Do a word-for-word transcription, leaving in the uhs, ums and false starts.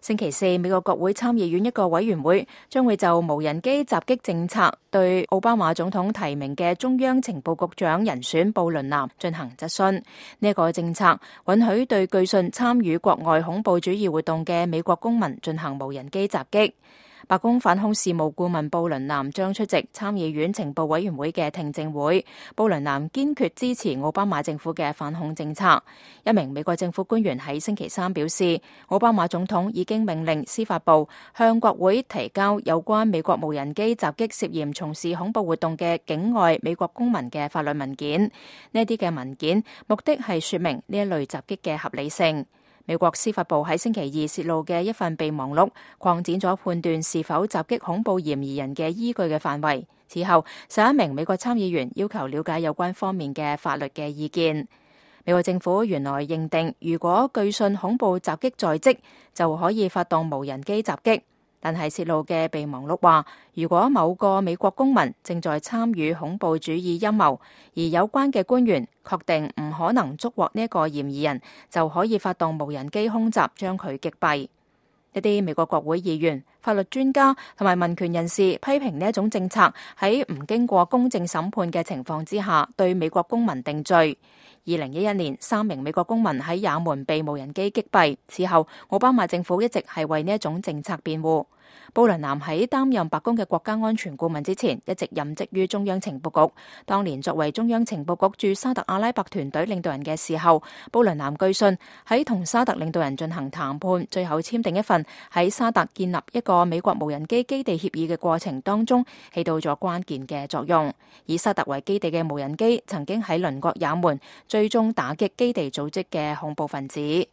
星期四，美國國會參議院一個委員會將會就無人機襲擊政策對奧巴馬總統提名嘅中央情報局長人選布倫南進行質詢。呢、這、一個政策允許對據信參與國外恐怖主義活動嘅美國公民進行無人機襲擊。白宮反恐事務顧問布倫南將出席參議院情報委員會嘅聽證會。布倫南堅決支持奧巴馬政府嘅反恐政策。一名美國政府官員喺星期三表示，奧巴馬總統已經命令司法部向國會提交有關美國無人機襲擊涉嫌從事恐怖活動嘅境外美國公民嘅法律文件。呢啲嘅文件目的係說明呢一類襲擊嘅合理性。美國司法部喺星期二泄露嘅一份備忘錄，擴展咗判斷是否襲擊恐怖嫌疑人嘅依據嘅範圍。此後，十一名美國參議員要求了解有關方面嘅法律嘅意見。美國政府原來認定，如果據信恐怖襲擊在即，就可以發動無人機襲擊。但係泄露嘅備忘錄話，如果某個美國公民正在參與恐怖主義陰謀，而有關嘅官員確定唔可能捉獲呢一個嫌疑人，就可以發動無人機空襲將佢擊斃。一啲美國國會議員、法律專家同埋民權人士批評呢一種政策喺唔經過公正審判嘅情況之下，對美國公民定罪。二零一一年，三名美國公民喺也門被無人機擊斃。此後，奧巴馬政府一直係為呢一種政策辯護。布倫南喺擔任白宮嘅國家安全顧問之前，一直任職於中央情報局。當年作為中央情報局駐沙特阿拉伯團隊領導人嘅時候，布倫南據信喺同沙特領導人進行談判，最後簽訂一份喺沙特建立一個美國無人機基地協議嘅過程當中，起到咗關鍵嘅作用。以沙特為基地嘅無人機曾經喺鄰國也門最終打擊基地組織嘅恐怖分子。